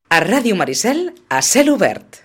A Ràdio Maricel, a cel obert.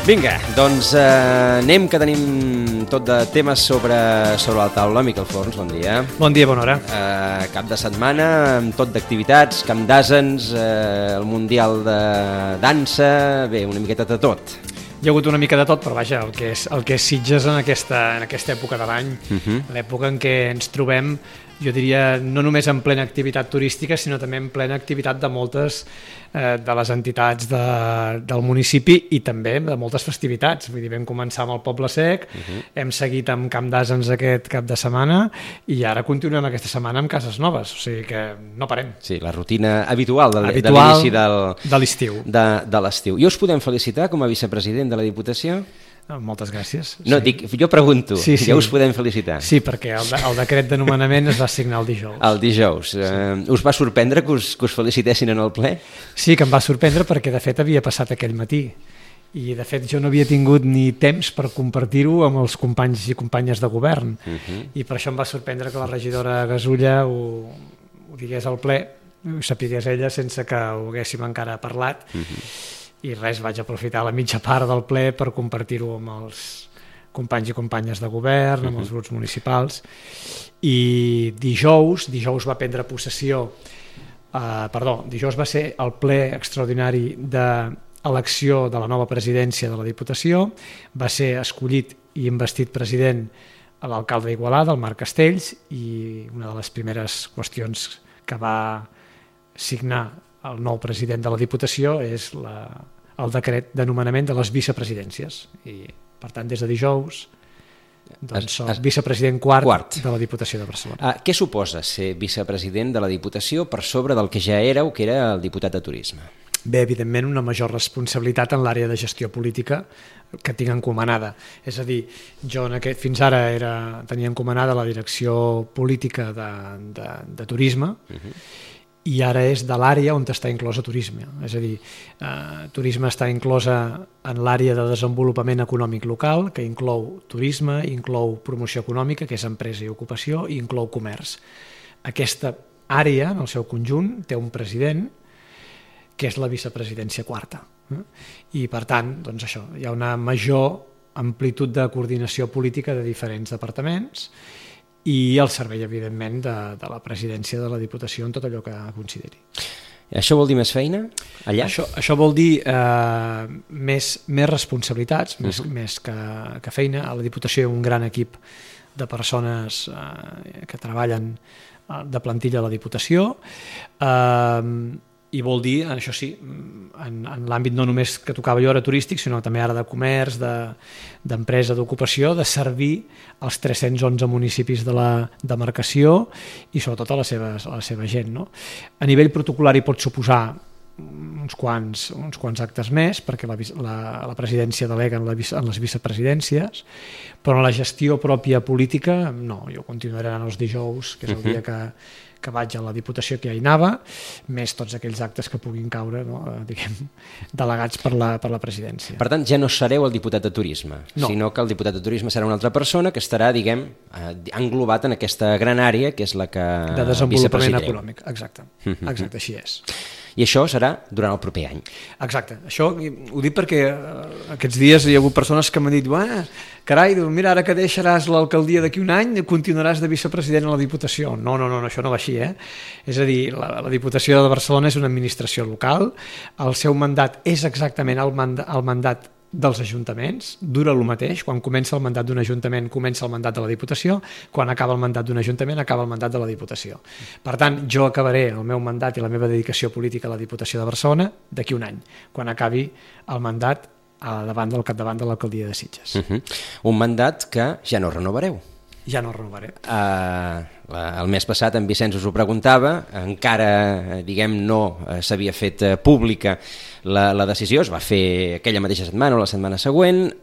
Vinga, doncs anem, que tenim tot de temes sobre la taula. Miquel Forns, bon dia. Bon dia, bona hora. Cap de setmana, amb tot d'activitats, Camp d'Àsens, el Mundial de Dansa, bé, una miqueta de tot. Hi ha hagut una mica de tot, però vaja, el que és Sitges en aquesta època de l'any, l'època en què ens trobem, jo diria, no només en plena activitat turística, sinó també en plena activitat de moltes de les entitats del municipi i també de moltes festivitats. Vull dir, vam començar amb el Poble Sec, hem seguit amb Camp d'Àsens aquest cap de setmana i ara continuem aquesta setmana amb Cases Noves, o sigui que no parem. Sí, la rutina habitual de l'inici de l'estiu. De l'estiu. I us podem felicitar com a vicepresident de la Diputació? Moltes gràcies. No, dic, jo pregunto, sí. Ja us podem felicitar. Sí, perquè el decret de nomenament es va signar el dijous. El dijous. Sí. Us va sorprendre que us felicitessin en el ple? Sí, que em va sorprendre perquè de fet havia passat aquell matí i de fet jo no havia tingut ni temps per compartir-ho amb els companys i companyes de govern i per això em va sorprendre que la regidora Gasulla ho digués al ple, ho sapigués ella sense que ho haguéssim encara parlat i res, vaig aprofitar la mitja part del ple per compartir-ho amb els companys i companyes de govern, amb els grups municipals i dijous va prendre possessió dijous va ser el ple extraordinari d'elecció de la nova presidència de la Diputació, va ser escollit i investit president l'alcalde d'Igualada, el Marc Castells, i una de les primeres qüestions que va signar el nou president de la Diputació és el decret de nomenament de les vicepresidències i per tant des de dijous doncs soc vicepresident quart de la Diputació de Barcelona. Què suposa ser vicepresident de la Diputació per sobre del que ja éreu, que era el diputat de Turisme? Bé, evidentment una major responsabilitat en l'àrea de gestió política que tinc encomanada. És a dir, jo fins ara tenia encomanada la direcció política de turisme i ara és de l'àrea on està inclosa turisme. És a dir, turisme està inclosa en l'àrea de desenvolupament econòmic local, que inclou turisme, inclou promoció econòmica, que és empresa i ocupació, i inclou comerç. Aquesta àrea, en el seu conjunt, té un president, que és la vicepresidència quarta. I, per tant, doncs això, hi ha una major amplitud de coordinació política de diferents departaments i el servei, evidentment, de la presidència de la Diputació en tot allò que consideri. Això vol dir més feina allà? Això vol dir més responsabilitats, més que feina. A la Diputació hi ha un gran equip de persones que treballen de plantilla a la Diputació i vol dir, això sí, en l'àmbit no només que tocava jo ara turístic, sinó també ara de comerç, d'empresa, d'ocupació, de servir als 311 municipis de la demarcació i sobretot a la seva gent. No? A nivell protocolari pot suposar uns quants actes més, perquè la presidència delega en les vicepresidències, però en la gestió pròpia política, no, jo continuaré anant els dijous, que és el dia que vaig a la Diputació, que ja hi anava, més tots aquells actes que puguin caure, no? Delegats per la presidència. Per tant, ja no sereu el diputat de Turisme, sinó que el diputat de Turisme serà una altra persona que estarà, englobat en aquesta gran àrea, que és la que de desenvolupament econòmic, exacte, així és. I això serà durant el proper any. Exacte, això ho dic perquè aquests dies hi ha hagut persones que m'han dit carai, mira, ara que deixaràs l'alcaldia d'aquí un any continuaràs de vicepresident a la Diputació. No, això no va així. És a dir, la Diputació de Barcelona és una administració local, el seu mandat és exactament el mandat dels ajuntaments dura el mateix. Quan comença el mandat d'un ajuntament, comença el mandat de la Diputació, quan acaba el mandat d'un ajuntament, acaba el mandat de la Diputació. Per tant, jo acabaré el meu mandat i la meva dedicació política a la Diputació de Barcelona d'aquí un any, quan acabi el mandat al capdavant de l'alcaldia de Sitges. Un mandat que ja no renovareu. Ja no renovaré. El mes passat en Vicenç us ho preguntava, encara no s'havia fet pública la decisió, es va fer aquella mateixa setmana o la setmana següent,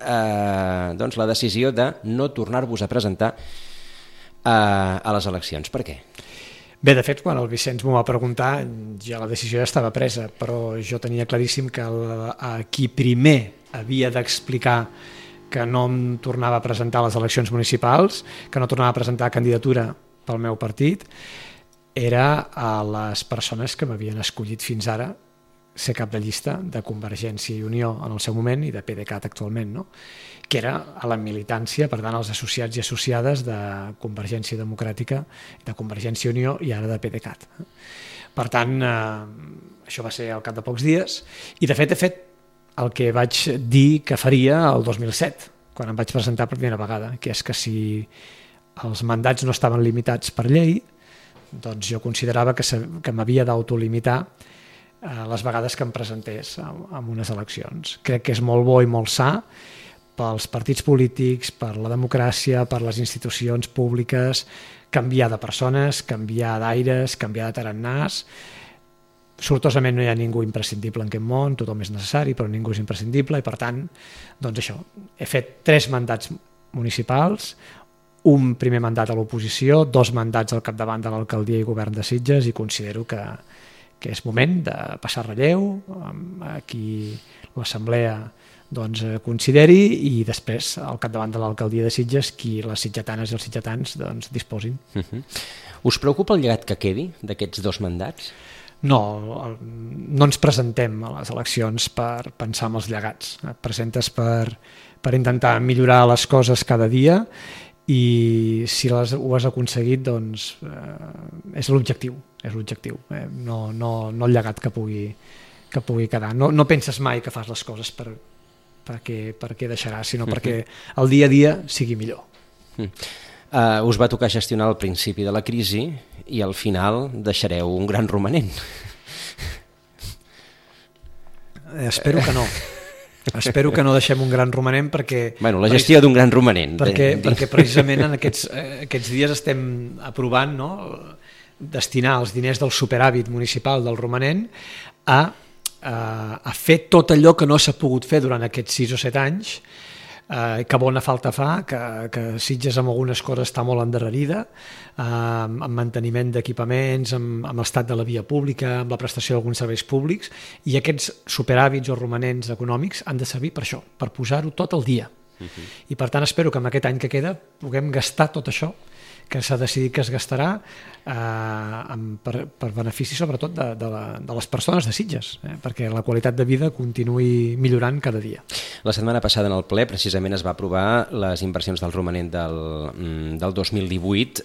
doncs la decisió de no tornar-vos a presentar a les eleccions. Per què? Bé, de fet, quan el Vicenç m'ho va preguntar, ja la decisió ja estava presa, però jo tenia claríssim que a qui primer havia d'explicar que no em tornava a presentar a les eleccions municipals, que no tornava a presentar candidatura pel meu partit, era a les persones que m'havien escollit fins ara ser cap de llista de Convergència i Unió en el seu moment i de PDeCAT actualment, no? Que era a la militància, per tant, als associats i associades de Convergència Democràtica, de Convergència i Unió i ara de PDeCAT. Per tant, això va ser al cap de pocs dies i, de fet, he fet el que vaig dir que faria el 2007, quan em vaig presentar per primera vegada, que és que si els mandats no estaven limitats per llei, doncs jo considerava que m'havia d'autolimitar les vegades que em presentés en unes eleccions. Crec que és molt bo i molt sa pels partits polítics, per la democràcia, per les institucions públiques, canviar de persones, canviar d'aires, canviar de tarannàs. Sortosament no hi ha ningú imprescindible en aquest món, tothom és necessari, però ningú és imprescindible, i per tant, doncs això, he fet 3 mandats municipals, un primer mandat a l'oposició, 2 mandats al capdavant de l'alcaldia i govern de Sitges, i considero que és moment de passar relleu, a qui l'assemblea doncs, consideri, i després al capdavant de l'alcaldia de Sitges qui les sitgetanes i els sitgetans doncs, disposin. Us preocupa el llegat que quedi d'aquests 2 mandats? No ens presentem a les eleccions per pensar en els llegats. Et presentes per intentar millorar les coses cada dia i si ho has aconseguit, doncs és l'objectiu. No el llegat que pugui quedar. No penses mai que fas les coses perquè deixaràs, sinó perquè el dia a dia sigui millor. Us va tocar gestionar al principi de la crisi i al final deixareu un gran romanent. Espero que no. Espero que no deixem un gran romanent perquè... Bueno, la gestió d'un gran romanent. Perquè precisament en aquests dies estem aprovant, no, destinar els diners del superàvit municipal del romanent a fer tot allò que no s'ha pogut fer durant aquests 6 o 7 anys, que bona falta fa, que Sitges amb algunes coses està molt endarrerida, amb manteniment d'equipaments, amb l'estat de la via pública, amb la prestació d'alguns serveis públics, i aquests superàvits o romanents econòmics han de servir per això, per posar-ho tot al dia. I per tant espero que en aquest any que queda puguem gastar tot això que s'ha decidit que es gastarà per benefici sobretot de les persones de Sitges, perquè la qualitat de vida continuï millorant cada dia. La setmana passada en el ple precisament es va aprovar les inversions del romanent del 2018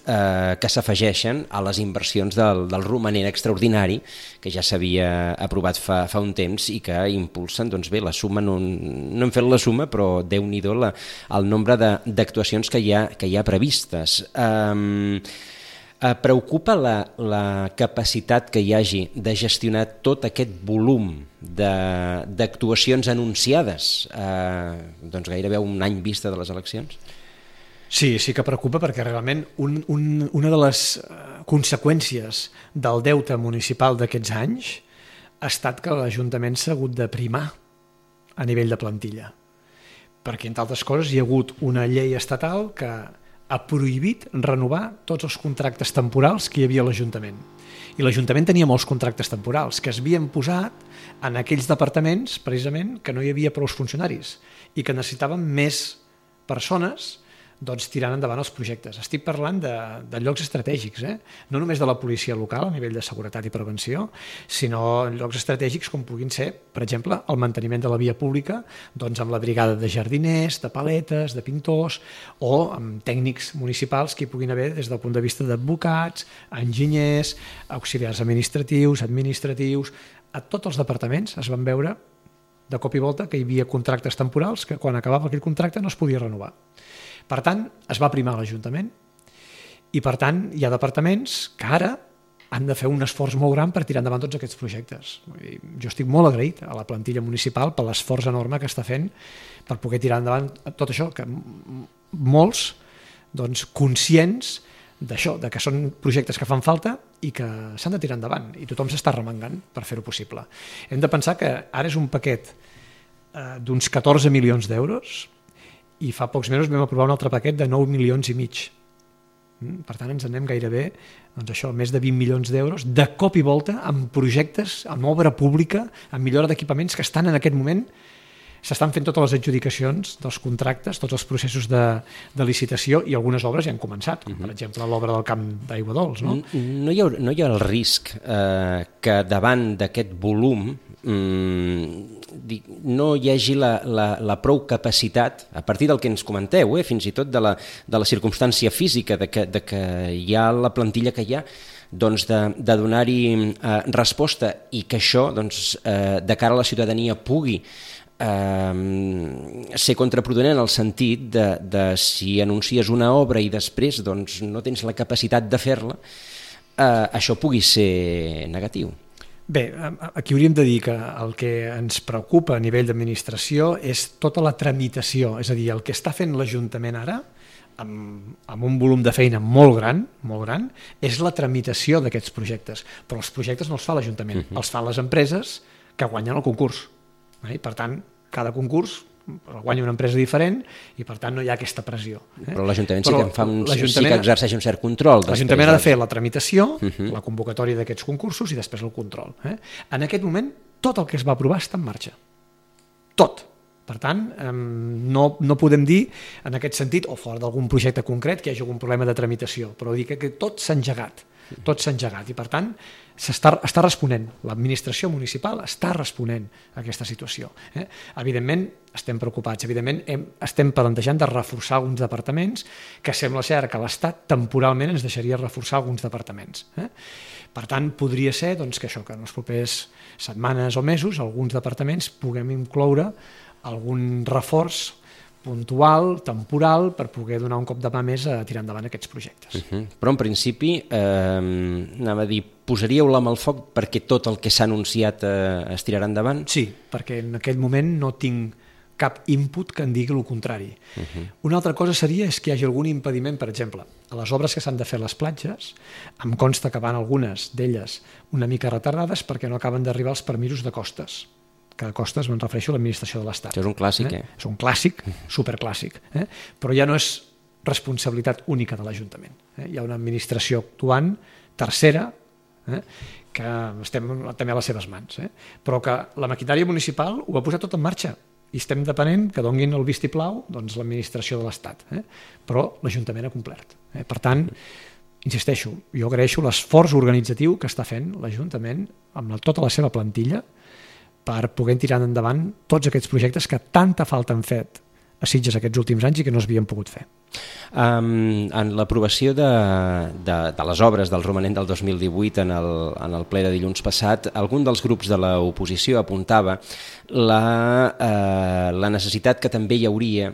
que s'afegeixen a les inversions del romanent extraordinari que ja s'havia aprovat fa un temps i que impulsen, doncs bé, la suma, no hem fet la suma, però Déu-n'hi-do el nombre d'actuacions que hi ha previstes. Preocupa la capacitat que hi hagi de gestionar tot aquest volum d'actuacions anunciades doncs gairebé un any vista de les eleccions? Sí que preocupa perquè realment una de les conseqüències del deute municipal d'aquests anys ha estat que l'Ajuntament s'ha hagut de primar a nivell de plantilla, perquè entre altres coses hi ha hagut una llei estatal que ha prohibit renovar tots els contractes temporals que hi havia a l'Ajuntament. I l'Ajuntament tenia molts contractes temporals que es havien posat en aquells departaments, precisament, que no hi havia prou funcionaris i que necessitaven més persones tirant endavant els projectes. Estic parlant de llocs estratègics, no només de la policia local a nivell de seguretat i prevenció, sinó llocs estratègics com puguin ser, per exemple, el manteniment de la via pública amb la brigada de jardiners, de paletes, de pintors, o amb tècnics municipals que hi puguin haver des del punt de vista d'advocats, enginyers, auxiliars administratius, a tots els departaments es van veure de cop i volta que hi havia contractes temporals que quan acabava aquell contracte no es podia renovar. Per tant, es va primar l'Ajuntament i per tant hi ha departaments que ara han de fer un esforç molt gran per tirar endavant tots aquests projectes. Jo estic molt agraït a la plantilla municipal per l'esforç enorme que està fent per poder tirar endavant tot això, que molts conscients d'això, de que són projectes que fan falta i que s'han de tirar endavant i tothom s'està remengant per fer-ho possible. Hem de pensar que ara és un paquet d'uns 14 milions d'euros i fa pocs mesos vam aprovar un altre paquet de 9 milions i mig. Per tant, ens anem gairebé més de 20 milions d'euros de cop i volta amb projectes, amb obra pública, amb millora d'equipaments que estan en aquest moment, s'estan fent totes les adjudicacions dels contractes, tots els processos de licitació i algunes obres ja han començat, com per exemple l'obra del camp d'Aigua Dols. No? No hi ha el risc que davant d'aquest volum no hi hagi la prou capacitat, a partir del que ens comenteu, fins i tot de la circumstància física, de que hi ha la plantilla que hi ha, de donar-hi resposta i que això, de cara a la ciutadania, pugui ser contraproduent en el sentit de si anuncies una obra i després no tens la capacitat de fer-la, això pugui ser negatiu. Bé, aquí hauríem de dir que el que ens preocupa a nivell d'administració és tota la tramitació, és a dir, el que està fent l'Ajuntament ara, amb un volum de feina molt gran, és la tramitació d'aquests projectes. Però els projectes no els fa l'Ajuntament, els fan les empreses que guanyen el concurs. Per tant, cada concurs el guanya una empresa diferent i per tant no hi ha aquesta pressió. Però l'Ajuntament sí que exerceix un cert control. L'Ajuntament ha de fer la tramitació, la convocatòria d'aquests concursos i després el control. En aquest moment tot el que es va aprovar està en marxa. Tot. Per tant, no podem dir en aquest sentit, o fora d'algun projecte concret, que hi hagi algun problema de tramitació, però dir que tot s'ha engegat. Tot s'ha engegat i per tant està responent, l'administració municipal està responent a aquesta situació. Evidentment estem preocupats, evidentment estem plantejant de reforçar alguns departaments que sembla ser que l'Estat temporalment ens deixaria reforçar alguns departaments. Per tant, podria ser que això, que en les properes setmanes o mesos alguns departaments puguem incloure algun reforç puntual, temporal, per poder donar un cop de mà més a tirar endavant aquests projectes. Però en principi, anava a dir, posaríeu la mà al foc perquè tot el que s'ha anunciat es tirarà endavant? Sí, perquè en aquell moment no tinc cap input que em digui el contrari. Una altra cosa seria que hi hagi algun impediment, per exemple, a les obres que s'han de fer a les platges, em consta que van algunes d'elles una mica retardades perquè no acaben d'arribar els permisos de costes. Que de costes me'n refereixo a l'administració de l'Estat. Això és un clàssic, És un clàssic, superclàssic. Però ja no és responsabilitat única de l'Ajuntament. Hi ha una administració actuant tercera que estem també a les seves mans. Però que la maquinària municipal ho ha posat tot en marxa i estem depenent que donin el vistiplau l'administració de l'Estat. Però l'Ajuntament ha complert. Per tant, insisteixo, jo agraeixo l'esforç organitzatiu que està fent l'Ajuntament amb tota la seva plantilla per poder tirar endavant tots aquests projectes que tanta falta han fet a Sitges aquests últims anys i que no s'havien pogut fer. En l'aprovació de les obres del romanent del 2018 en el ple de dilluns passat, algun dels grups de l'oposició apuntava la necessitat que també hi hauria,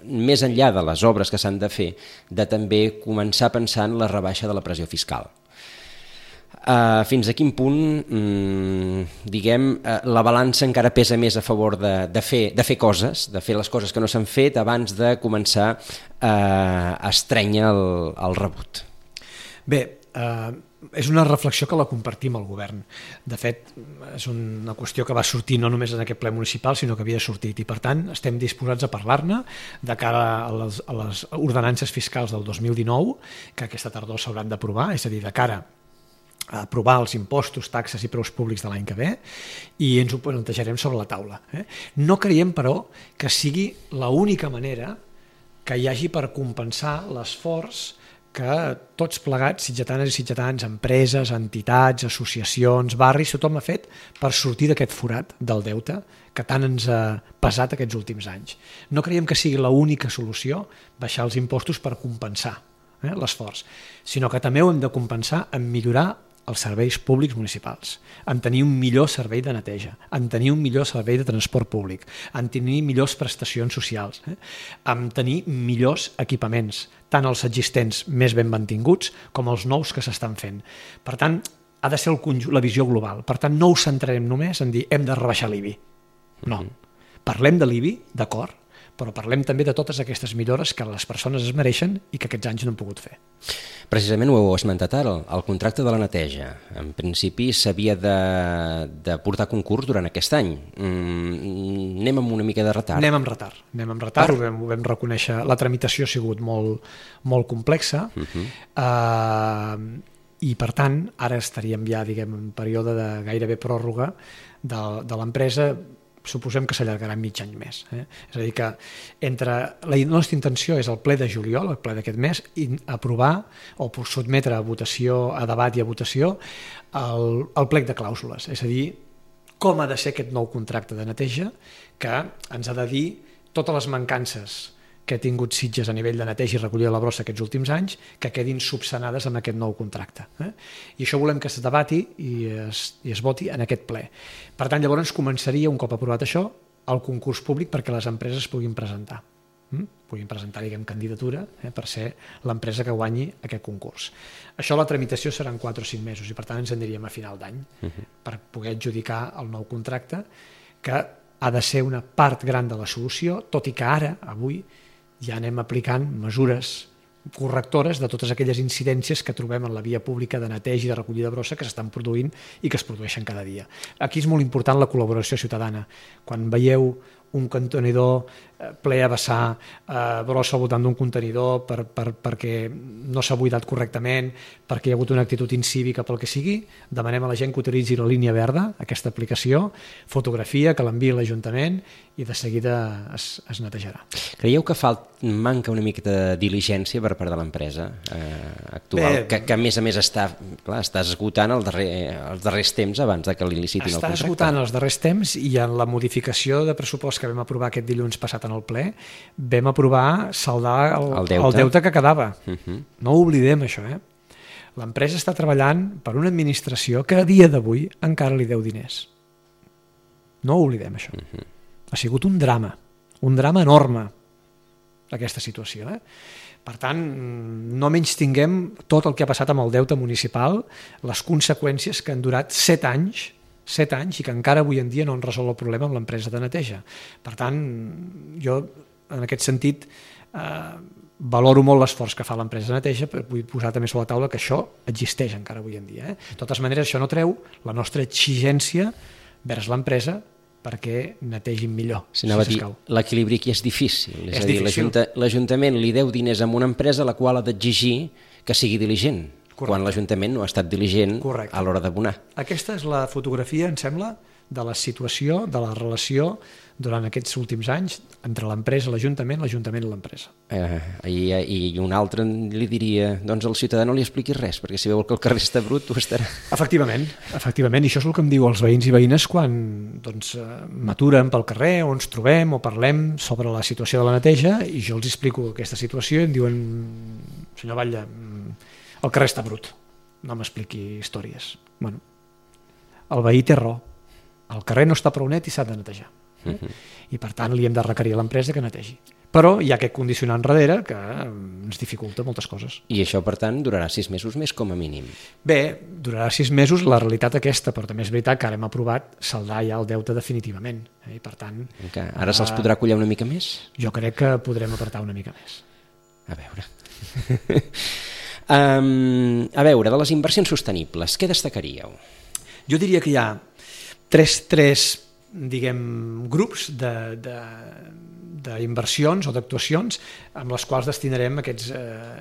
més enllà de les obres que s'han de fer, de també començar a pensar en la rebaixa de la pressió fiscal. Fins a quin punt, la balança encara pesa més a favor de fer coses, de fer les coses que no s'han fet abans de començar a estrènyer el rebut? Bé, és una reflexió que la compartim al govern. De fet, és una qüestió que va sortir no només en aquest ple municipal, sinó que havia sortit, i per tant estem disposats a parlar-ne de cara a les ordenances fiscals del 2019, que aquesta tardor s'hauran d'aprovar, és a dir, de cara a aprovar els impostos, taxes i preus públics de l'any que ve, i ens ho plantejarem sobre la taula. No creiem, però, que sigui l'única manera que hi hagi per compensar l'esforç que tots plegats, sitgetanes i sitgetans, empreses, entitats, associacions, barris, tothom ha fet per sortir d'aquest forat del deute que tant ens ha pesat aquests últims anys. No creiem que sigui l'única solució baixar els impostos per compensar l'esforç, sinó que també ho hem de compensar en millorar els serveis públics municipals, en tenir un millor servei de neteja, en tenir un millor servei de transport públic, en tenir millors prestacions socials, en tenir millors equipaments, tant els existents més ben mantinguts com els nous que s'estan fent. Per tant, ha de ser la visió global. Per tant, no ho centrarem només en dir hem de rebaixar l'IBI. No. Parlem de l'IBI, d'acord, però parlem també de totes aquestes millores que les persones es mereixen i que aquests anys no han pogut fer. Precisament ho heu esmentat ara, el contracte de la neteja. En principi s'havia de portar concurs durant aquest any. Anem amb una mica de retard. Anem amb retard, ho vam reconèixer. La tramitació ha sigut molt complexa i, per tant, ara estaríem ja, diguem, en període de gairebé pròrroga de l'empresa. Suposem que s'allargarà mig any més. És a dir, que la nostra intenció és el ple de juliol, el ple d'aquest mes, aprovar o sotmetre a votació, a debat i a votació el plec de clàusules. És a dir, com ha de ser aquest nou contracte de neteja que ens ha de dir totes les mancances que ha tingut Sitges a nivell de neteja i recollida de la brossa aquests últims anys, que quedin subsanades amb aquest nou contracte. I això volem que es debati i es voti en aquest ple. Per tant, llavors començaria, un cop aprovat això, el concurs públic perquè les empreses puguin presentar. Puguin presentar, diguem, candidatura per ser l'empresa que guanyi aquest concurs. Això, la tramitació seran 4 o 5 mesos i, per tant, ens en diríem a final d'any per poder adjudicar el nou contracte, que ha de ser una part gran de la solució, tot i que ara, avui, ja anem aplicant mesures correctores de totes aquelles incidències que trobem en la via pública de neteja i de recollida de brossa que s'estan produint i que es produeixen cada dia. Aquí és molt important la col·laboració ciutadana. Quan veieu un contenidor ple a vessar brossa al voltant d'un contenidor perquè no s'ha buidat correctament, perquè hi ha hagut una actitud incívica pel que sigui, demanem a la gent que utilitzi la línia verda, aquesta aplicació, fotografia, que l'enviï a l'Ajuntament i de seguida es netejarà. Creieu que manca una mica de diligència per part de l'empresa actual, que a més està esgotant els darrers temps abans que li licitin el contracte? Està esgotant els darrers temps i en la modificació de pressupost que vam aprovar aquest dilluns passat en el ple, vam aprovar saldar el deute que quedava. No ho oblidem, això. L'empresa està treballant per una administració que a dia d'avui encara li deu diners. No ho oblidem, això. Ha sigut un drama enorme, aquesta situació. Per tant, no menystinguem tot el que ha passat amb el deute municipal, les conseqüències que han durat 7 anys i que encara avui en dia no han resolt el problema amb l'empresa de neteja. Per tant, jo, en aquest sentit, valoro molt l'esforç que fa l'empresa de neteja, però vull posar també sobre la taula que això existeix encara avui en dia. De totes maneres, això no treu la nostra exigència vers l'empresa perquè netegin millor. L'equilibri aquí és difícil. És a dir, l'Ajuntament li deu diners a una empresa a la qual ha d'exigir que sigui diligent. Correcte. Quan l'Ajuntament no ha estat diligent a l'hora d'abonar. Aquesta és la fotografia, em sembla, de la situació, de la relació durant aquests últims anys entre l'empresa, l'Ajuntament i l'empresa. I un altre li diria, doncs al ciutadà no li expliquis res, perquè si veu que el carrer està brut, ho estarà. Efectivament, i això és el que em diu els veïns i veïnes quan m'aturen pel carrer o ens trobem o parlem sobre la situació de la neteja i jo els explico aquesta situació i em diuen, senyor Batlle, el carrer està brut, no m'expliqui històries. Bueno, el veí té raó, el carrer no està prou net i s'ha de netejar. I per tant li hem de requerir a l'empresa que netegi. Però hi ha aquest condicionant darrere que ens dificulta moltes coses. I això, per tant, durarà 6 mesos més com a mínim? Bé, durarà 6 mesos la realitat aquesta, però també és veritat que ara hem aprovat saldar ja el deute definitivament. I per tant... Ara se'ls podrà collar una mica més? Jo crec que podrem apretar una mica més. A veure... A veure, de les inversions sostenibles, què destacaríeu? Jo diria que hi ha tres diguem, grups d'inversions o d'actuacions amb les quals destinarem aquests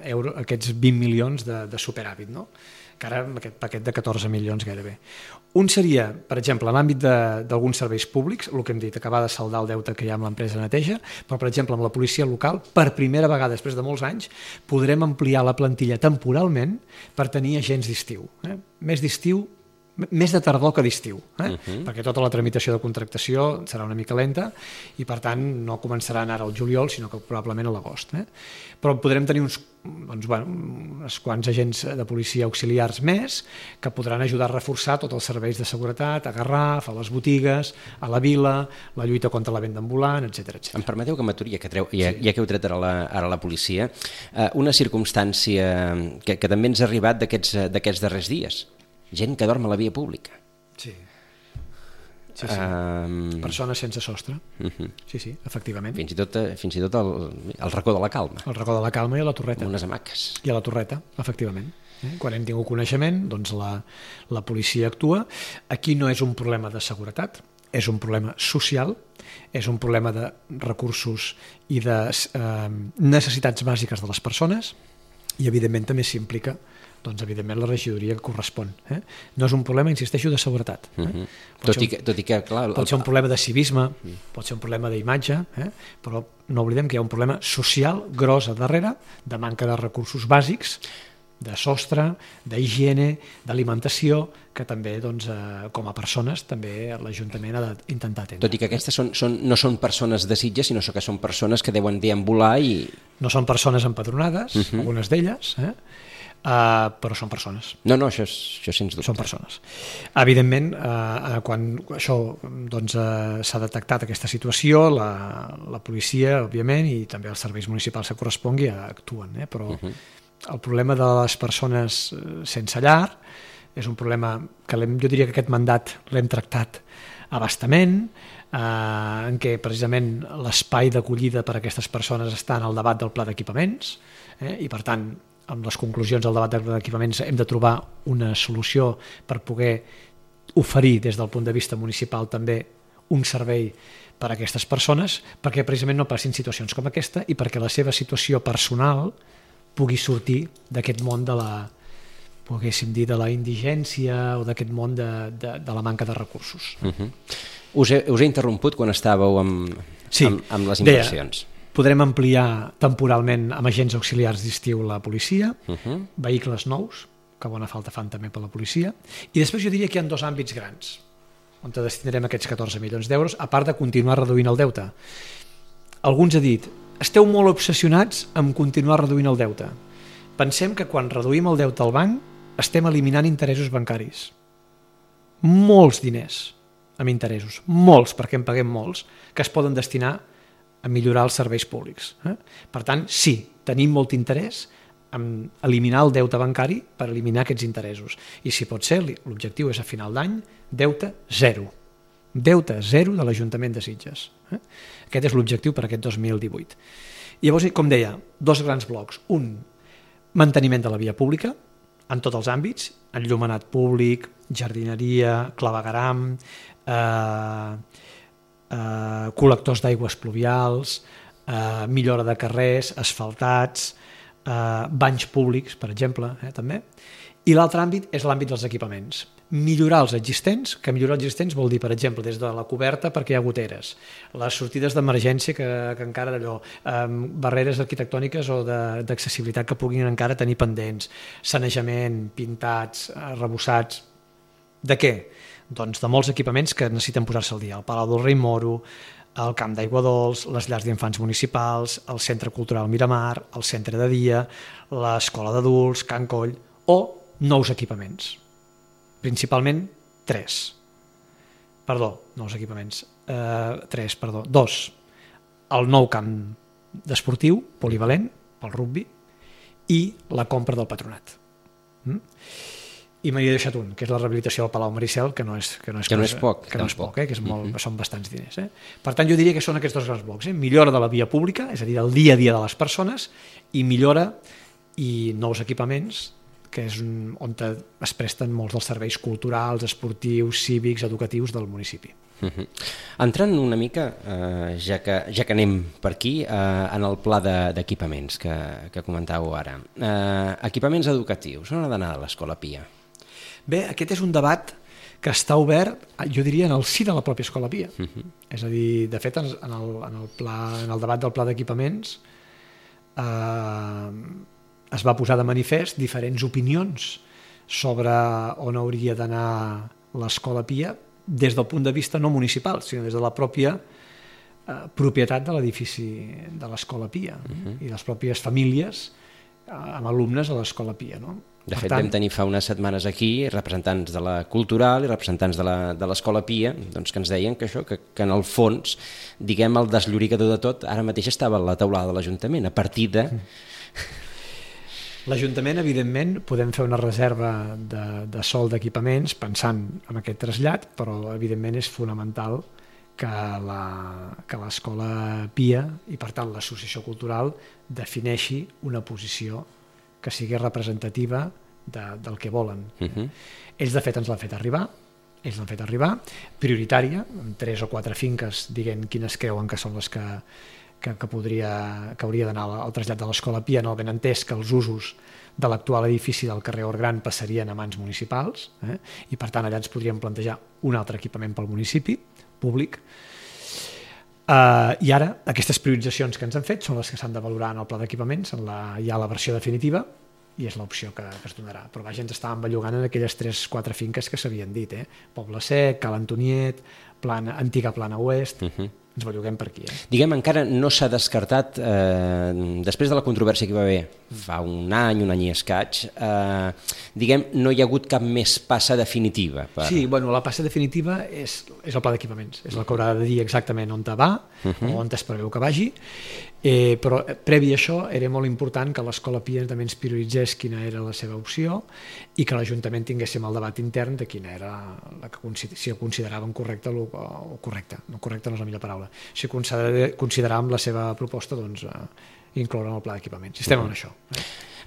20 milions de superàvit, no? Que ara amb aquest paquet de 14 milions gairebé. Un seria, per exemple, en l'àmbit d'alguns serveis públics, el que hem dit, acabar de saldar el deute que hi ha amb l'empresa de neteja, però, per exemple, amb la policia local, per primera vegada després de molts anys, podrem ampliar la plantilla temporalment per tenir agents d'estiu. Més d'estiu més de tardor que d'estiu, perquè tota la tramitació de contractació serà una mica lenta i per tant no començaran ara al juliol sinó que probablement a l'agost. Però podrem tenir uns quants agents de policia auxiliars més que podran ajudar a reforçar tots els serveis de seguretat, a Garraf, a les botigues, a la vila, la lluita contra la venda ambulant, etc. Em permeteu que m'aturi, ja que heu tret ara la policia, una circumstància que també ens ha arribat d'aquests darrers dies. Gent que dorm a la via pública. Sí. Persones sense sostre. Sí, efectivament. Fins i tot el racó de la Calma. El racó de la Calma i a la Torreta. Unes hamaques. I a la Torreta, efectivament. Quan hem tingut coneixement, doncs la policia actua. Aquí no és un problema de seguretat, és un problema social, és un problema de recursos i de necessitats bàsiques de les persones i evidentment també s'implica doncs evidentment la regidoria que correspon. No és un problema, insisteixo, de seguretat. Tot i que, clar... Pot ser un problema de civisme, pot ser un problema d'imatge, però no oblidem que hi ha un problema social gros a darrere, de manca de recursos bàsics, de sostre, d'higiene, d'alimentació, que també, doncs, com a persones, també l'Ajuntament ha d'intentar atendre. Tot i que aquestes no són persones de Sitges, sinó que són persones que deuen deambular i... No són persones empadronades, algunes d'elles, però són persones. No, això sens dubte. Són persones. Evidentment, quan això s'ha detectat aquesta situació, la policia, òbviament, i també els serveis municipals que correspongui actuen, però el problema de les persones sense llar és un problema que jo diria que aquest mandat l'hem tractat a bastament, en què precisament l'espai d'acollida per a aquestes persones està en el debat del pla d'equipaments i per tant amb les conclusions del debat d'equipaments hem de trobar una solució per poder oferir des del punt de vista municipal també un servei per a aquestes persones perquè precisament no passin situacions com aquesta i perquè la seva situació personal pugui sortir d'aquest món de la indigència o d'aquest món de la manca de recursos. Us he interromput quan estàveu amb les inversions. Podrem ampliar temporalment amb agents auxiliars d'estiu la policia, vehicles nous, que bona falta fan també per la policia, i després jo diria que hi ha dos àmbits grans on destinarem aquests 14 milions d'euros, a part de continuar reduint el deute. Algú ens ha dit, esteu molt obsessionats amb continuar reduint el deute. Pensem que quan reduïm el deute al banc estem eliminant interessos bancaris. Molts diners amb interessos, molts, perquè en paguem molts, que es poden destinar a millorar els serveis públics. Per tant, sí, tenim molt interès en eliminar el deute bancari per eliminar aquests interessos. I si pot ser, l'objectiu és a final d'any, deute zero. Deute zero de l'Ajuntament de Sitges. Aquest és l'objectiu per aquest 2018. Llavors, com deia, dos grans blocs. Un, manteniment de la via pública, en tots els àmbits, enllumenat públic, jardineria, clavegueram, col·lectors d'aigües pluvials, millora de carrers, asfaltats, banys públics, per exemple, també. I l'altre àmbit és l'àmbit dels equipaments. Millorar els existents, que millorar els existents vol dir, per exemple, des de la coberta perquè hi ha goteres, les sortides d'emergència que encara d'allò, barreres arquitectòniques o d'accessibilitat que puguin encara tenir pendents, sanejament, pintats, arrebossats. De què? Doncs de molts equipaments que necessiten posar-se al dia. El Palau del Rei Moro, el Camp d'Aigua Dols, les llars d'infants municipals, el Centre Cultural Miramar, el Centre de Dia, l'Escola d'Adults, Can Coll, o nous equipaments. Principalment dos. El nou camp d'esportiu, polivalent, pel rugbi, i la compra del patronat. I me n'he deixat un, que és la rehabilitació del Palau Maricel, que no és poc, que són bastants diners. Per tant, jo diria que són aquests dos grans blocs. Millora de la via pública, és a dir, del dia a dia de les persones, i millora i nous equipaments, que és on es presten molts dels serveis culturals, esportius, cívics, educatius del municipi. Entrant una mica, ja que anem per aquí, en el pla d'equipaments que comentàveu ara. Equipaments educatius, on ha d'anar l'Escola Pia? Bé, aquest és un debat que està obert, jo diria, en el si de la pròpia Escola Pia. És a dir, de fet, en el debat del pla d'equipaments es va posar de manifest diferents opinions sobre on hauria d'anar l'Escola Pia des del punt de vista no municipal, sinó des de la pròpia propietat de l'edifici de l'Escola Pia i les pròpies famílies amb alumnes a l'Escola Pia, no? De fet, vam tenir fa unes setmanes aquí representants de la Cultural i representants de l'Escola Pia, doncs, que ens deien que això, que en el fons, diguem, el desllorigador de tot, ara mateix estava a la taulada de l'Ajuntament, a partir de... L'Ajuntament, evidentment, podem fer una reserva de sòl d'equipaments pensant en aquest trasllat, però evidentment és fonamental que l'Escola Pia i, per tant, l'Associació Cultural defineixi una posició que sigui representativa del que volen. Ells, de fet, ens l'han fet arribar, prioritària, amb 3 o 4 finques, diguem quines creuen que són les que hauria d'anar al trasllat de l'Escola Pia, no ben entès que els usos de l'actual edifici del carrer Orgran passarien a mans municipals, i per tant allà ens podríem plantejar un altre equipament pel municipi públic. I ara aquestes prioritzacions que ens han fet són les que s'han de valorar en el pla d'equipaments, hi ha la versió definitiva i és l'opció que es donarà. Però vaja, ens estàvem bellugant en aquelles 3-4 finques que s'havien dit, Poble Sec, Cal Antoniet, antiga Plana Oest, ens belluguem per aquí. Diguem, encara no s'ha descartat, després de la controvèrsia que hi va haver fa un any i escaig, diguem, no hi ha hagut cap més passa definitiva. Sí, bueno, la passa definitiva és el pla d'equipaments, és el que haurà de dir exactament on va o on es preveu que vagi, però previ a això era molt important que l'Escola Pia també ens prioritzés quina era la seva opció i que l'Ajuntament tinguéssim el debat intern de quina era si ho consideraven correcte o correcte, no correcte no és la millor paraula, si consideràvem la seva proposta, doncs incloure en el pla d'equipaments. Estem en això.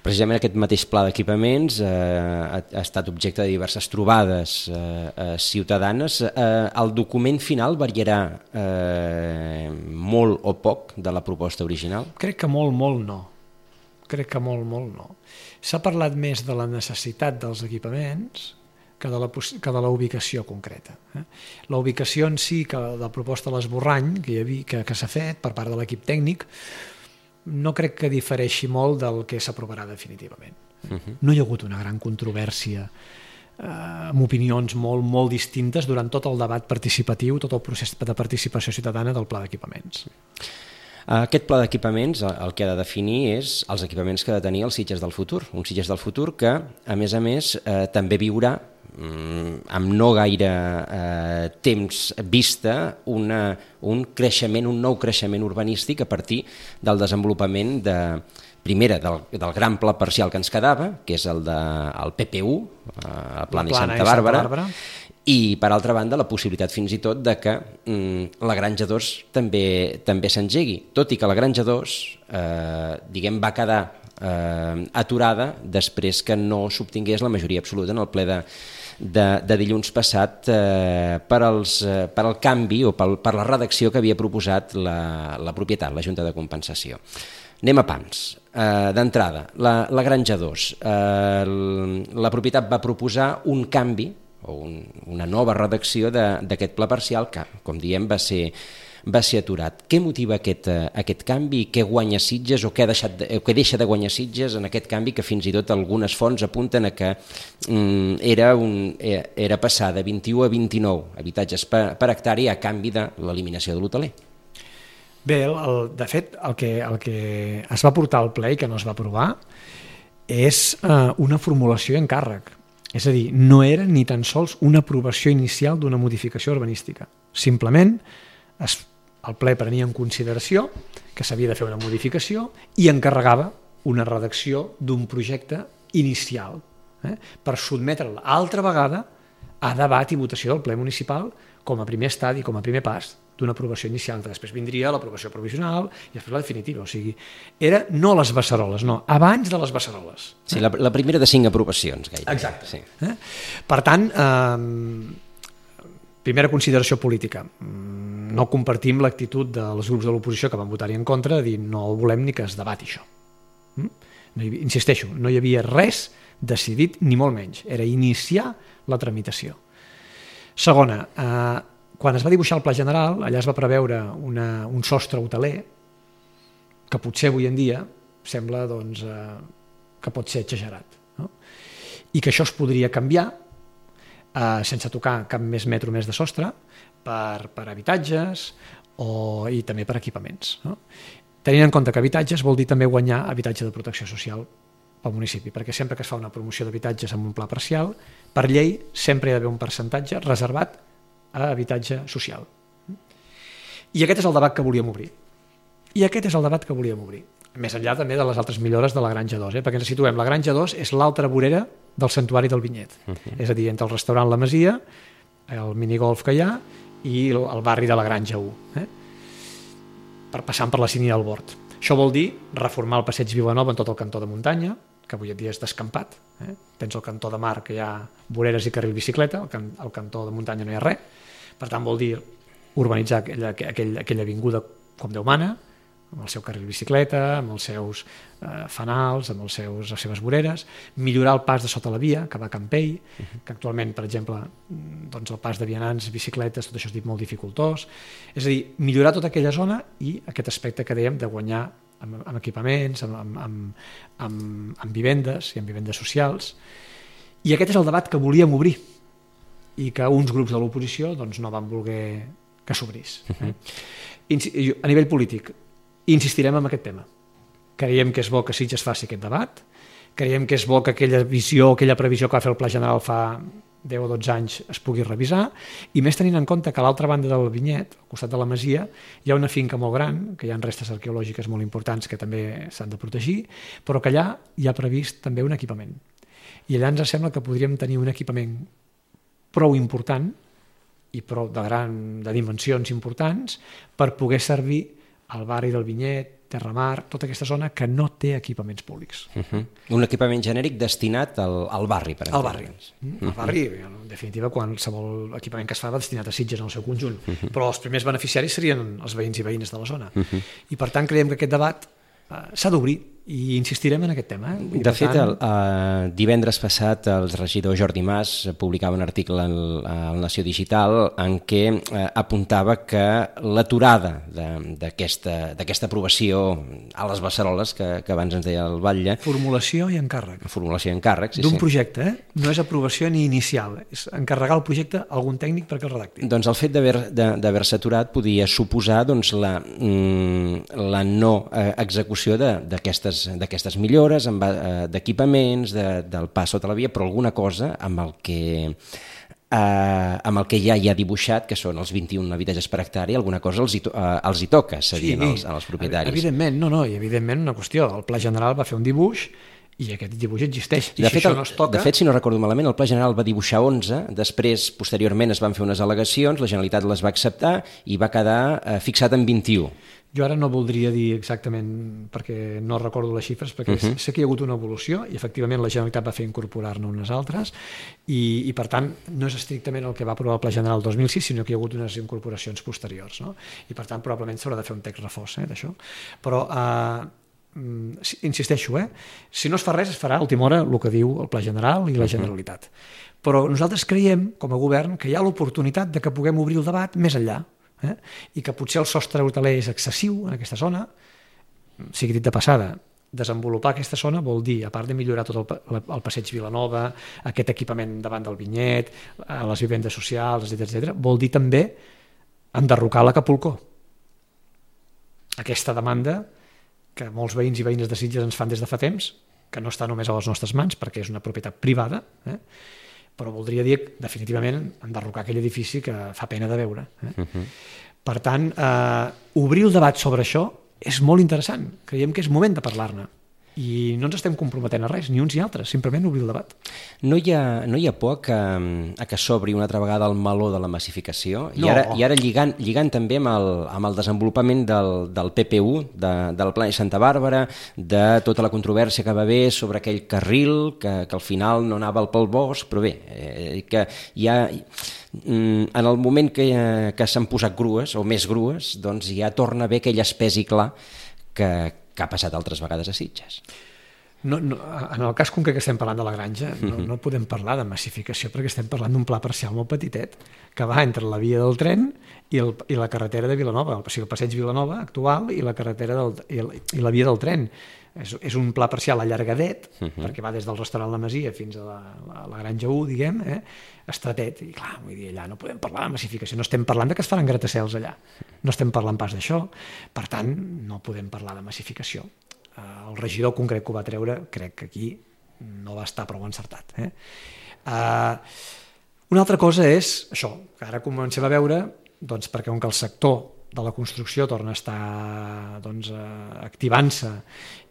Precisament aquest mateix pla d'equipaments ha estat objecte de diverses trobades ciutadanes. El document final variarà molt o poc de la proposta original? Crec que molt no. S'ha parlat més de la necessitat dels equipaments que de la ubicació concreta. La ubicació en si, que la proposta de l'esborrany que s'ha fet per part de l'equip tècnic, no crec que difereixi molt del que s'aprovarà definitivament. No hi ha hagut una gran controvèrsia amb opinions molt distintes durant tot el debat participatiu, tot el procés de participació ciutadana del pla d'equipaments. Aquest pla d'equipaments el que ha de definir és els equipaments que ha de tenir els Sitges del futur, un Sitges del futur que, a més, també viurà amb no gaire temps vista un nou creixement urbanístic a partir del desenvolupament primera del gran pla parcial que ens quedava, que és el PPU, el Plana i Santa Bàrbara, i per altra banda la possibilitat fins i tot de que la Granja 2 també s'engegui, tot i que la Granja 2 va quedar aturada després que no s'obtingués la majoria absoluta en el ple de dilluns passat per al canvi o per la redacció que havia proposat la propietat, la Junta de Compensació. Anem a pams. D'entrada, la Granja 2. La propietat va proposar un canvi o una nova redacció d'aquest pla parcial que, com diem, va ser aturat. Què motiva aquest canvi? Què guanya Sitges o què deixa de guanyar Sitges en aquest canvi que fins i tot algunes fonts apunten a que era passar de 21 a 29 habitatges per hectàrea a canvi de l'eliminació de l'hoteler? Bé, de fet, el que es va portar al ple i que no es va aprovar és una formulació i encàrrec. És a dir, no era ni tan sols una aprovació inicial d'una modificació urbanística. Simplement, el ple prenia en consideració que s'havia de fer una modificació i encarregava una redacció d'un projecte inicial per sotmetre'l altra vegada a debat i votació del ple municipal com a primer estadi, com a primer pas d'una aprovació inicial. Després vindria l'aprovació provisional i després la definitiva. O sigui, era no les beceroles, no, abans de les beceroles. Sí, la primera de 5 aprovacions, gairebé. Exacte. Sí. Per tant, primera consideració política. No compartim l'actitud dels grups de l'oposició que van votar-hi en contra de dir no volem ni que es debati això. Insisteixo, no hi havia res decidit ni molt menys. Era iniciar la tramitació. Segona, quan es va dibuixar el pla general, allà es va preveure un sostre hoteler que potser avui en dia sembla que pot ser exagerat. No? i que això es podria canviar sense tocar cap més metro més de sostre per habitatges i també per equipaments, no? Tenint en compte que habitatges vol dir també guanyar habitatge de protecció social pel municipi, perquè sempre que es fa una promoció d'habitatges amb un pla parcial, per llei sempre hi ha d'haver un percentatge reservat a habitatge social. I aquest és el debat que volíem obrir. Més enllà també de les altres millores de la Granja 2, perquè ens situem. La Granja 2 és l'altra vorera del Santuari del Vinyet. És a dir, entre el restaurant La Masia, el minigolf que hi ha, i el barri de la Granja 1, passant per la Cini del Bord. Això vol dir reformar el passeig Vilanova en tot el cantó de muntanya, que avui en dia és descampat. Tens el cantó de mar, que hi ha voreres i carril bicicleta, al cantó de muntanya no hi ha res. Per tant, vol dir urbanitzar aquella avinguda com Déu mana, amb el seu carril bicicleta, amb els seus fanals, amb les seves voreres, millorar el pas de sota la via, que va a Campell, que actualment, per exemple, doncs el pas de vianants, bicicletes, tot això és dit molt dificultós. És a dir, millorar tota aquella zona i aquest aspecte que dèiem de guanyar amb equipaments, amb vivendes i amb vivendes socials. I aquest és el debat que volíem obrir i que uns grups de l'oposició doncs, no van voler que s'obrís. A nivell polític, insistirem en aquest tema. Creiem que és bo que Sitges faci aquest debat, creiem que és bo que aquella visió, aquella previsió que va fer el Pla General fa 10 o 12 anys es pugui revisar, i més tenint en compte que a l'altra banda del Vinyet, al costat de la Masia, hi ha una finca molt gran, que hi ha restes arqueològiques molt importants que també s'han de protegir, però que allà hi ha previst també un equipament. I allà ens sembla que podríem tenir un equipament prou important i prou de dimensions importants per poder servir al barri del Vinyet, Terramar, tota aquesta zona que no té equipaments públics. Un equipament genèric destinat al barri, per exemple. Al barri. Al barri, en definitiva, qualsevol equipament que es fa va destinat a Sitges en el seu conjunt, però els primers beneficiaris serien els veïns i veïnes de la zona. I per tant creiem que aquest debat s'ha d'obrir i insistirem en aquest tema. De fet, divendres passat el regidor Jordi Mas publicava un article al Nació Digital en què apuntava que l'aturada d'aquesta aprovació a les beceroles, que abans ens deia el Batlle... Formulació i encàrrec. Formulació i encàrrec, sí. D'un projecte, no és aprovació ni inicial, és encarregar el projecte a algun tècnic perquè el redacti. Doncs el fet d'haver-se aturat podia suposar la no execució d'aquestes millores, d'equipaments, del pas sota la via, però alguna cosa amb el que ja hi ha dibuixat, que són els 21 habitatges per hectàrea, alguna cosa els hi toca cedir als propietaris. Evidentment, i evidentment una qüestió, el Pla General va fer un dibuix i aquest dibuix existeix. De fet, si no recordo malament, el Pla General va dibuixar 11, després, posteriorment, es van fer unes al·legacions, la Generalitat les va acceptar i va quedar fixat en 21. Jo ara no voldria dir exactament, perquè no recordo les xifres, perquè sé que hi ha hagut una evolució i efectivament la Generalitat va fer incorporar-ne unes altres i per tant no és estrictament el que va aprovar el Pla General 2006, sinó que hi ha hagut unes incorporacions posteriors, no? I per tant probablement s'haurà de fer un text reforç d'això. Però insisteixo, si no es fa res es farà a última hora el que diu el Pla General i la Generalitat. Però nosaltres creiem, com a govern, que hi ha l'oportunitat de que puguem obrir el debat més enllà. I que potser el sostre hoteler és excessiu en aquesta zona, sigui dit de passada, desenvolupar aquesta zona vol dir, a part de millorar tot el passeig Vilanova, aquest equipament davant del Vinyet, les vivendes socials, etc., vol dir també enderrocar l'Acapulco. Aquesta demanda que molts veïns i veïnes de Sitges ens fan des de fa temps, que no està només a les nostres mans perquè és una propietat privada, però voldria dir definitivament enderrocar aquell edifici que fa pena de veure. Per tant, obrir el debat sobre això és molt interessant. Creiem que és moment de parlar-ne. I no ens estem comprometent a res, ni uns ni altres, simplement obrir el debat. No hi ha por a que s'obri una altra vegada el meló de la massificació? No. I ara lligant també amb el desenvolupament del PPU, del Pla de Santa Bàrbara, de tota la controvèrsia que va haver sobre aquell carril, que al final no anava pel bosc, però bé, que hi ha... En el moment que s'han posat grues, o més grues, doncs ja torna a haver aquell espès i clar que ha passat altres vegades a Sitges. En el cas concret que estem parlant de la granja, no podem parlar de massificació perquè estem parlant d'un pla parcial molt petitet que va entre la via del tren i la carretera de Vilanova, o sigui, el passeig Vilanova actual i la carretera i la via del tren. És un pla parcial allargadet, perquè va des del restaurant La Masia fins a la granja 1, diguem, estratet, i clar, vull dir, allà no podem parlar de massificació, no estem parlant de que es faran gratacels allà, no estem parlant pas d'això, per tant, no podem parlar de massificació. El regidor concret que ho va treure, crec que aquí no va estar prou encertat. Una altra cosa és això, que ara comencem a veure, doncs perquè com que el sector de la construcció torna a estar activant-se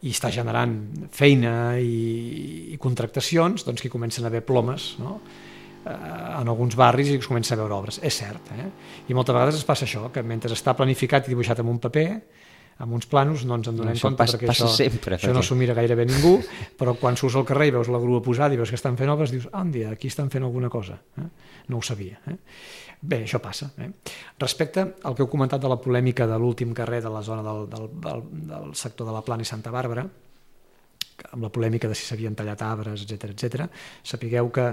i està generant feina i contractacions, doncs que comencen a haver plomes, no? En alguns barris i es comença a veure obres. És cert, i moltes vegades es passa això, que mentre està planificat i dibuixat en un paper, amb uns planos, no ens en donem compte perquè això no s'ho mira gairebé ningú, però quan surts al carrer i veus la grua posada i veus que estan fent obres, dius, aquí estan fent alguna cosa. No ho sabia. Bé, això passa. Respecte al que heu comentat de la polèmica de l'últim carrer de la zona del sector de la Plana i Santa Bàrbara, amb la polèmica de si s'havien tallat arbres, etc., sapigueu que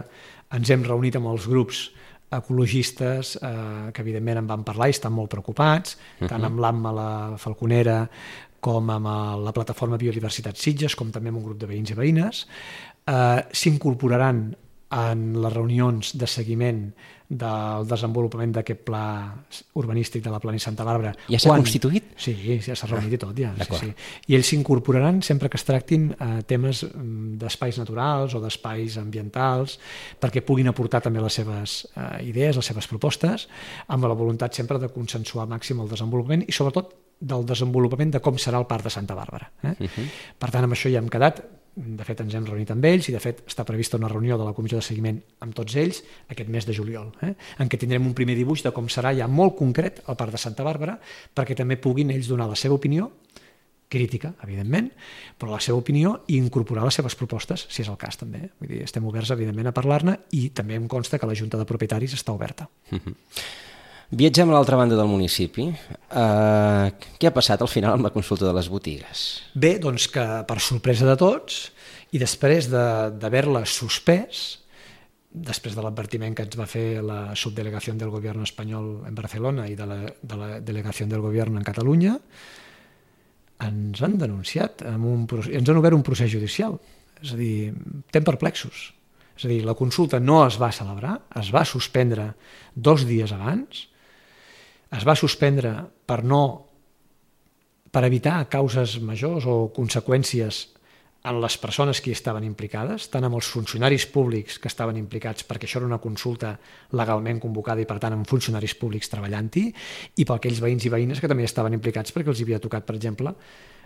ens hem reunit amb els grups ecologistes que evidentment en van parlar i estan molt preocupats, tant amb l'AMMA, la Falconera, com amb la plataforma Biodiversitat Sitges, com també amb un grup de veïns i veïnes. S'incorporaran en les reunions de seguiment del desenvolupament d'aquest pla urbanístic de la Plana i Santa Bàrbara. Ja s'ha constituït? Sí, ja s'ha reunit i tot, ja. Sí. I ells s'incorporaran sempre que es tractin temes d'espais naturals o d'espais ambientals, perquè puguin aportar també les seves idees, les seves propostes, amb la voluntat sempre de consensuar al màxim el desenvolupament i sobretot del desenvolupament de com serà el Parc de Santa Bàrbara. Per tant, amb això ja hem quedat. De fet, ens hem reunit amb ells i, de fet, està prevista una reunió de la comissió de seguiment amb tots ells aquest mes de juliol, en què tindrem un primer dibuix de com serà ja molt concret el Parc de Santa Bàrbara, perquè també puguin ells donar la seva opinió, crítica, evidentment, però la seva opinió i incorporar les seves propostes, si és el cas, també. Vull dir, estem oberts, evidentment, a parlar-ne i també em consta que la Junta de Propietaris està oberta. Viatgem a l'altra banda del municipi. Què ha passat al final amb la consulta de les botigues? Bé, doncs que per sorpresa de tots i després d'haver-la suspès, després de l'advertiment que ens va fer la subdelegació del govern espanyol en Barcelona i de la delegació del govern en Catalunya, ens han denunciat, ens han obert un procés judicial. És a dir, estem perplexos. És a dir, la consulta no es va celebrar, es va suspendre 2 dies abans, es va suspendre per evitar causes majors o conseqüències en les persones que hi estaven implicades, tant amb els funcionaris públics que estaven implicats, perquè això era una consulta legalment convocada i per tant amb funcionaris públics treballant-hi, i per aquells veïns i veïnes que també estaven implicats perquè els havia tocat, per exemple,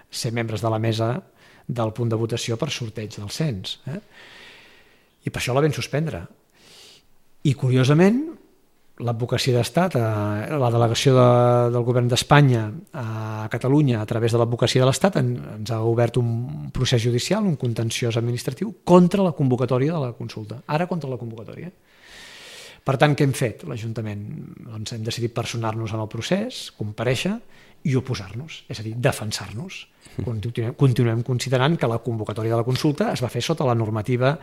ser membres de la mesa del punt de votació per sorteig del cens. I per això la vam suspendre. I curiosament, l'advocacia d'Estat, la delegació del govern d'Espanya a Catalunya a través de l'advocacia de l'Estat ens ha obert un procés judicial, un contenciós administratiu contra la convocatòria de la consulta. Ara contra la convocatòria. Per tant, què hem fet l'Ajuntament? Doncs hem decidit personar-nos en el procés, comparèixer i oposar-nos, és a dir, defensar-nos. Continuem considerant que la convocatòria de la consulta es va fer sota la normativa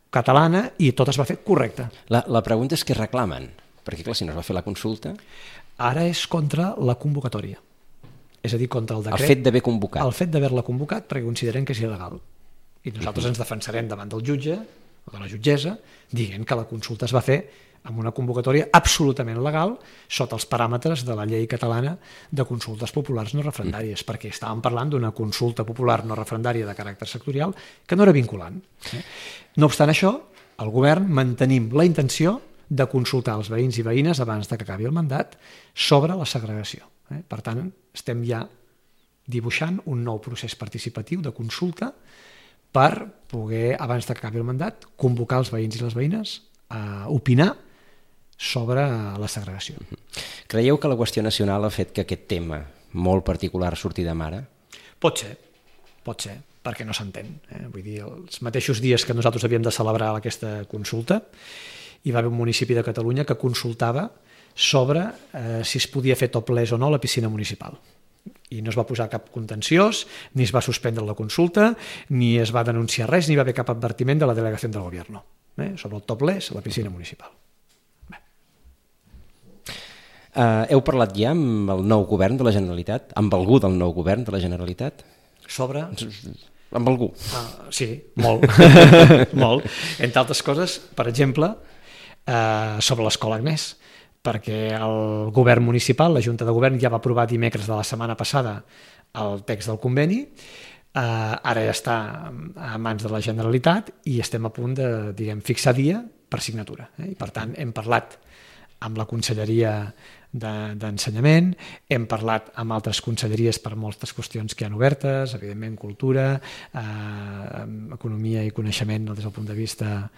catalana i tot es va fer correcte. La pregunta és què reclamen? Perquè, clar, si no es va fer la consulta... Ara és contra la convocatòria. És a dir, contra el decret... El fet d'haver convocat. El fet d'haver-la convocat perquè considerem que és il·legal. I nosaltres ens defensarem davant del jutge o de la jutgessa dient que la consulta es va fer amb una convocatòria absolutament legal sota els paràmetres de la llei catalana de consultes populars no referendàries, perquè estàvem parlant d'una consulta popular no referendària de caràcter sectorial que no era vinculant. No obstant això, el govern mantenim la intenció de consultar els veïns i veïnes abans que acabi el mandat sobre la segregació. Per tant, estem ja dibuixant un nou procés participatiu de consulta per poder, abans que acabi el mandat, convocar els veïns i les veïnes a opinar sobre la segregació. Creieu que la qüestió nacional ha fet que aquest tema molt particular surti de mare? Pot ser, perquè no s'entén. Vull dir, els mateixos dies que nosaltres havíem de celebrar aquesta consulta, hi va haver un municipi de Catalunya que consultava sobre si es podia fer topless o no la piscina municipal. i no es va posar cap contenciós, ni es va suspendre la consulta, ni es va denunciar res, ni va haver cap advertiment de la delegació del govern sobre el topless a la piscina municipal. Heu parlat ja amb el nou govern de la Generalitat? Amb algú del nou govern de la Generalitat? Sobre? Amb algú? Sí, molt. Molt. Entre altres coses, per exemple, sobre l'escola Agnès, perquè el govern municipal, la Junta de Govern, ja va aprovar dimecres de la setmana passada el text del conveni, ara ja està a mans de la Generalitat i estem a punt de fixar dia per signatura. I per tant hem parlat amb la Conselleria d'Ensenyament, hem parlat amb altres conselleries per moltes qüestions que hi ha obertes, evidentment cultura, economia i coneixement des del punt de vista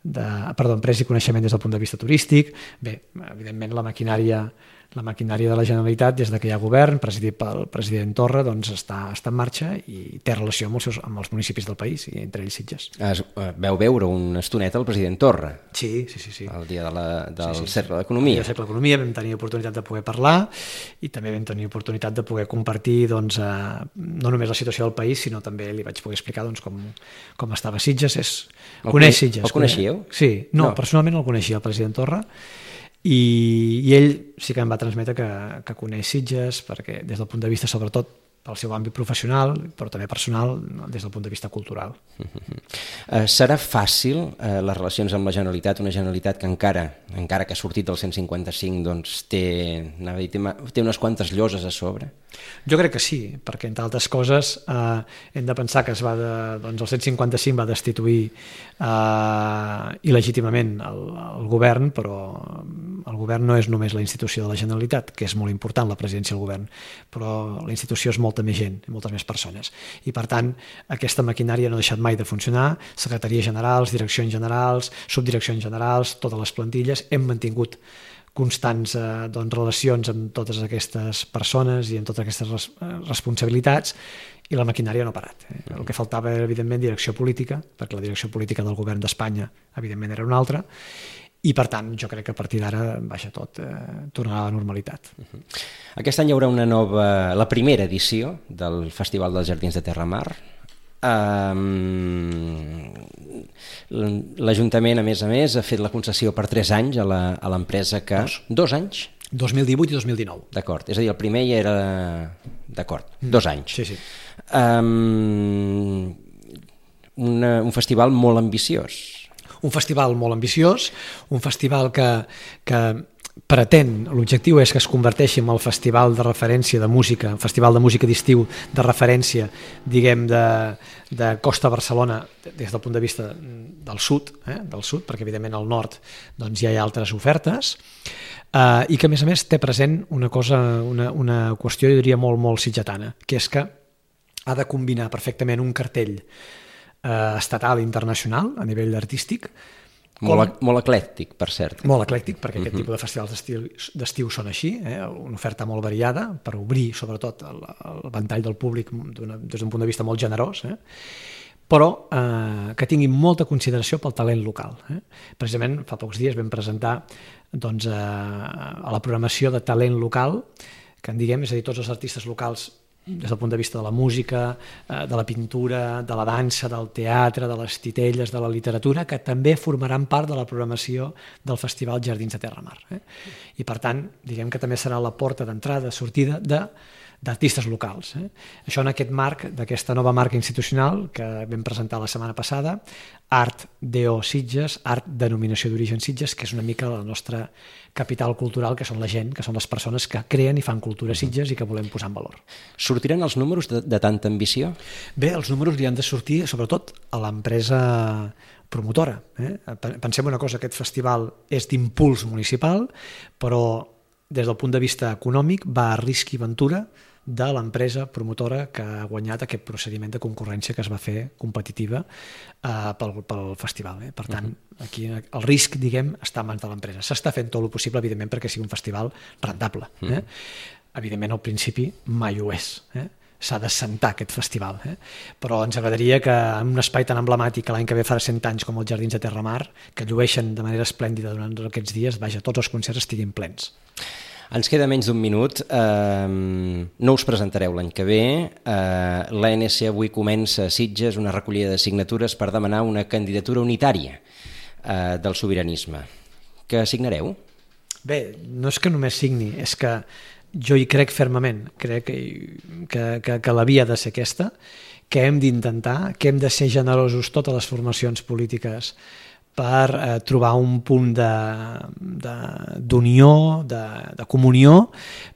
empresa i coneixement des del punt de vista turístic. Bé, evidentment la maquinària de la Generalitat, des que hi ha govern, presidit pel president Torra, doncs està en marxa i té relació amb els municipis del país, i entre ells Sitges. Veu veure una estoneta el president Torra? Sí. El dia del Cercle d'Economia. El Cercle d'Economia vam tenir oportunitat de poder parlar i també vam tenir oportunitat de poder compartir no només la situació del país, sinó també li vaig poder explicar com estava Sitges. Coneix Sitges? El coneixíeu? Sí, no, personalment el coneixia, el president Torra, i ell sí que em va transmetre que coneix Sitges, perquè des del punt de vista, sobretot pel seu àmbit professional, però també personal, des del punt de vista cultural. Serà fàcil les relacions amb la Generalitat, una Generalitat que encara que ha sortit del 155 doncs té unes quantes lloses a sobre? Jo crec que sí, perquè entre altres coses hem de pensar que el 155 va destituir il·legítimament el govern, però el govern no és només la institució de la Generalitat, que és molt important, la presidència del govern, però la institució és molta més gent, moltes més persones. I per tant, aquesta maquinària no ha deixat mai de funcionar, secretaries generals, direccions generals, subdireccions generals, totes les plantilles, hem mantingut constants relacions amb totes aquestes persones i amb totes aquestes responsabilitats, i la maquinària no ha parat. El que faltava era, evidentment, direcció política, perquè la direcció política del govern d'Espanya, evidentment, era una altra, i per tant jo crec que a partir d'ara tot tornarà a la normalitat. Aquest any hi haurà la primera edició del Festival dels Jardins de Terramar. L'Ajuntament, a més, ha fet la concessió per 3 anys a l'empresa que... 2 anys? 2018 i 2019. D'acord, és a dir, el primer ja era... D'acord, 2 anys. Sí. Un festival molt ambiciós. Un festival molt ambiciós, un festival que pretén, l'objectiu és que es converteixi en el festival de referència de música, festival de música d'estiu de referència, diguem, de Costa Barcelona, des del punt de vista del sud, perquè evidentment al nord doncs, ja hi ha altres ofertes, i que a més té present una qüestió, jo diria, molt sitgetana, que és que ha de combinar perfectament un cartell estatal i internacional a nivell artístic. Molt eclèctic, per cert. Molt eclèctic, perquè aquest tipus de festivals d'estiu són així, una oferta molt variada per obrir, sobretot, el ventall del públic des d'un punt de vista molt generós, però que tinguin molta consideració pel talent local. Precisament fa pocs dies vam presentar a la programació de talent local, que en diguem, és a dir, tots els artistes locals des del punt de vista de la música, de la pintura, de la dansa, del teatre, de les titelles, de la literatura, que també formaran part de la programació del Festival Jardins de Terramar. I per tant, diguem que també serà la porta d'entrada, sortida d'artistes locals. Això en aquest marc d'aquesta nova marca institucional que vam presentar la setmana passada, Art DO Sitges, Art Denominació d'Origen Sitges, que és una mica la nostra capital cultural, que són la gent, que són les persones que creen i fan cultura a Sitges i que volem posar en valor. Sortiran els números de tanta ambició? Bé, els números li han de sortir sobretot a l'empresa promotora. Pensem una cosa, aquest festival és d'impuls municipal, però des del punt de vista econòmic va a risc i ventura de l'empresa promotora que ha guanyat aquest procediment de concurrència que es va fer competitiva pel festival. Per tant, aquí el risc, diguem, està en mans de l'empresa. S'està fent tot el possible, evidentment, perquè sigui un festival rentable. Evidentment, al principi mai ho és. S'ha d'assentar aquest festival. Però ens agradaria que en un espai tan emblemàtic que l'any que ve farà 100 anys com els Jardins de Terramar, que llueixen de manera esplèndida durant aquests dies, tots els concerts estiguin plens. Ens queda menys d'un minut. No us presentareu l'any que ve. L'ANC avui comença a Sitges una recollida de signatures per demanar una candidatura unitària del sobiranisme. Què signareu? Bé, no és que només signi, és que jo hi crec fermament. Crec que la via ha de ser aquesta, que hem d'intentar, que hem de ser generosos totes les formacions polítiques per trobar un punt d'unió, de comunió,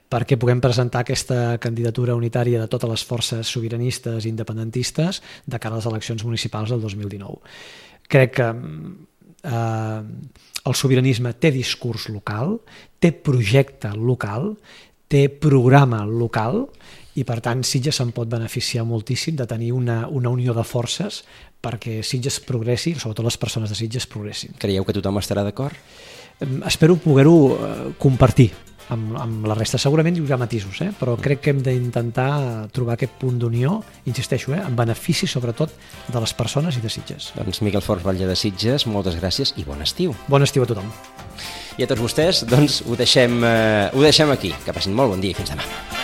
perquè puguem presentar aquesta candidatura unitària de totes les forces sobiranistes i independentistes de cara a les eleccions municipals del 2019. Crec que el sobiranisme té discurs local, té projecte local, té programa local, i per tant Sitges se'n pot beneficiar moltíssim de tenir una unió de forces perquè Sitges progressi, sobretot les persones de Sitges progressin. Creieu que tothom estarà d'acord? Espero poder-ho compartir amb la resta. Segurament hi haurà matisos, però crec que hem d'intentar trobar aquest punt d'unió, insisteixo, en benefici sobretot de les persones i de Sitges. Doncs Miquel Forns Batlle de Sitges, moltes gràcies i bon estiu. Bon estiu a tothom. I a tots vostès, doncs ho deixem aquí. Que passin molt bon dia i fins demà.